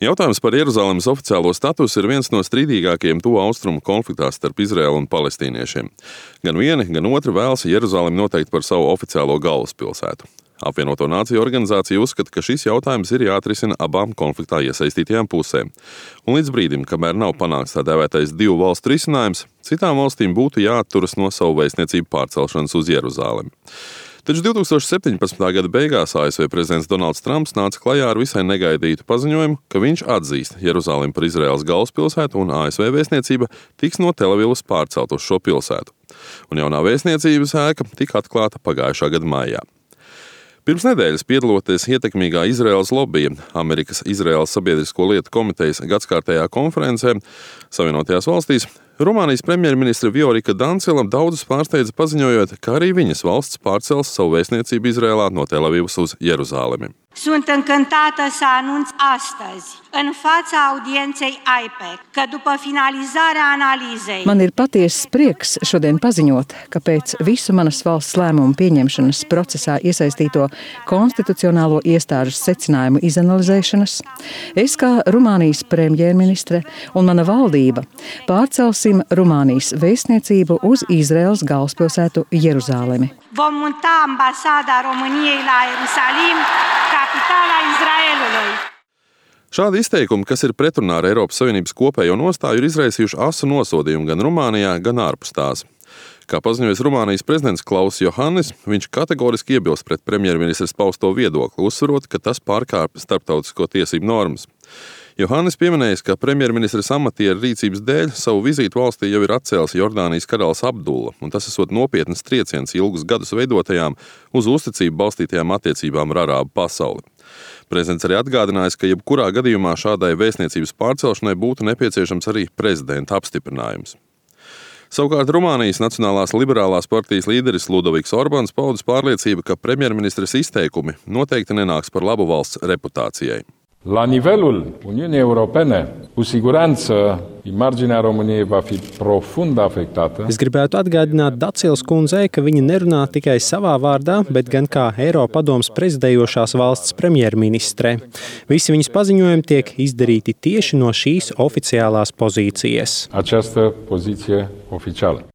Jautājums par Jeruzalemes oficiālo statusu ir viens no strīdīgākajiem tuvu austrumu konfliktā starp Izraēlu un palestīniešiem. Gan vieni, gan otri vēlas Jeruzalemi noteikt par savu oficiālo galvaspilsētu. Apvienoto Nāciju organizācija uzskata, ka šis jautājums ir jāatrisina abām konfliktā iesaistītajām pusēm. Un līdz brīdim, kamēr nav panākts tā dēvētais divu valstu risinājums, citām valstīm būtu jāatturas no savu vēstniecību pārcelšanas uz Jeruzalemi. Taču 2017. gada beigās ASV prezidents Donalds Trumps nāca klajā ar visai negaidītu paziņojumu, ka viņš atzīst Jeruzalemi par Izraēlas galvaspilsētu un ASV vēstniecība tiks no Telavivas pārcelt uz šo pilsētu. Un jaunā vēstniecības ēka tika atklāta pagājušā gada maijā. Pirms nedēļas piedaloties ietekmīgā Izraēlas lobija Amerikas Izraēlas sabiedrisko lietu komitejas gadskārtējā konferencē Savienotajās valstīs, Rumānijas premjerministre Viorika Dancila daudzus pārsteidza paziņojot, ka arī viņas valsts pārcels savu vēstniecību Izrēlā no Telavivas uz Jeruzalemi. Sunt încântată să anunț astăzi, în fața audienței AIPAC, că după finalizarea analizei... Man ir patiesas prieks šodien paziņot, ka pēc visu manas valsts lēmumu pieņemšanas procesā iesaistīto konstitucionālo iestāžu secinājumu izanalizēšanas, es kā Rumānijas premjerministre un mana valdība pārcelsim Rumānijas vēstniecību uz Izraēlas galvaspilsētu Jeruzalemi. Vom muta ambasada României la Ierusalim, capitala Izraēlului. Šādi izteikumi, kas ir pretrunā ar Eiropas Savienības kopējo nostāju, ir izraisījuši asu nosodījumu gan Rumānijā, gan ārpus tās. Kā paziņojis Rumānijas prezidents Klauss Johannis, viņš kategoriski iebilst pret premjerministres pausto viedokli, uzsverot, ka tas pārkāpj starptautisko tiesību normas. Johannis pieminējis, ka premjerministres amatieru rīcības dēļ savu vizītu valstī jau ir atcēlis Jordānijas karalis Abdulla, un tas esot nopietnas trieciens ilgus gadus veidotajām uz uzticību balstītajām attiecībām ar arābu pasauli. Prezidents arī atgādinājis, ka jebkurā gadījumā šādai vēstniecības pārcelšanai būtu nepieciešams arī prezidenta apstiprinājums. Savukārt Rumānijas Nacionālās liberālās partijas līderis Ludoviks Orbāns paudis pārliecību, ka premjerministres izteikumi noteikti nenāks par labu valsts reputācijai. La nivelul Uniunii Europene, cu siguranță, imaginea României va fi profund afectată. Es gribētu atgādināt Dacilas kundzei, ka viņa nerunā tikai savā vārdā, bet gan kā Eiropadomes prezidējošās valsts premjerministre. Visi viņas paziņojumi tiek izdarīti tieši no šīs oficiālās pozīcijas. Această poziție oficială.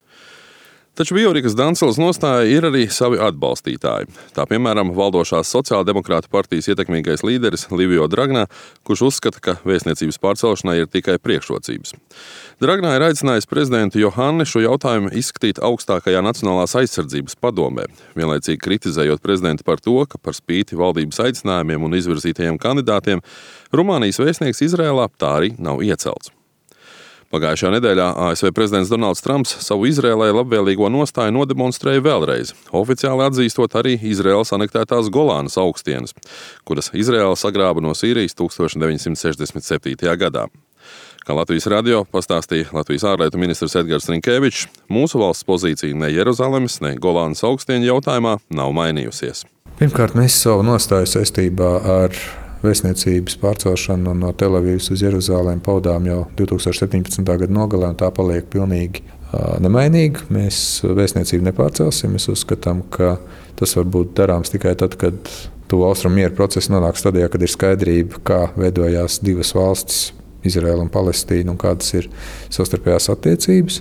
Taču Viorikas Dancilas nostāja ir arī savi atbalstītāji. Tā piemēram valdošās sociāldemokrātu partijas ietekmīgais līderis Livio Dragnā, kurš uzskata, ka vēstniecības pārcelšanai ir tikai priekšrocības. Dragnā ir aicinājis prezidentu Johanni šo jautājumu izskatīt augstākajā Nacionālās aizsardzības padomē, vienlaicīgi kritizējot prezidentu par to, ka par spīti valdības aicinājumiem un izvirzītajiem kandidātiem Rumānijas vēstnieks Izrēlā tā arī nav iecelts. Pagājušajā nedēļā ASV prezidents Donalds Trumps savu Izrēlai labvēlīgo nostāju nodemonstrēja vēlreiz, oficiāli atzīstot arī Izrēlas anektētās Golānas augstienes, kuras Izrēla sagrāba no Sīrijas 1967. gadā. Kā Latvijas radio pastāstīja Latvijas ārlietu ministrs Edgars Rinkēvičs, mūsu valsts pozīcija ne Jeruzalemes, ne Golānas augstienu jautājumā nav mainījusies. Pirmkārt, mēs savu nostāju saistībā ar vēstniecības pārcelšanu no Telavivas uz Jeruzalemi paudām jau 2017. gada nogalē, un tā paliek pilnīgi nemainīga. Mēs vēstniecību nepārcelsim. Mēs uzskatām, ka tas var būt darāms tikai tad, kad tuvu austrumu miera process nonāk stadijā, kad ir skaidrība, kā veidojās divas valstis, Izraēla un Palestīna, un kādas ir savstarpējās attiecības.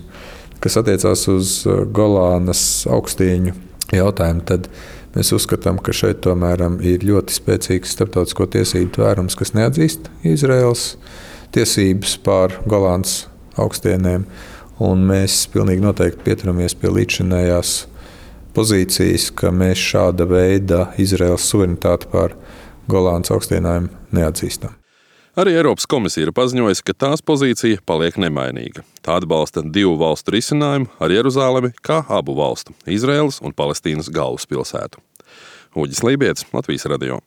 Kas attiecās uz Golānas augstieņu jautājumu, tad mēs uzskatām, ka šeit tomēr ir ļoti spēcīgs starptautisko tiesību tvērums, kas neatzīst Izraēlas tiesības pār Golānas augstienēm, un mēs pilnīgi noteikti pieturamies pie līdzšinējās pozīcijas, ka mēs šāda veida Izraēlas suverenitāti pār Golānas augstienēm neatzīstam. Arī Eiropas komisija ir paziņojusi, ka tās pozīcija paliek nemainīga. Tā atbalsta divu valstu risinājumu ar Jeruzalemi kā abu valstu – Izraēlas un Palestīnas galvaspilsētu. Uģis Lībietis, Latvijas radio.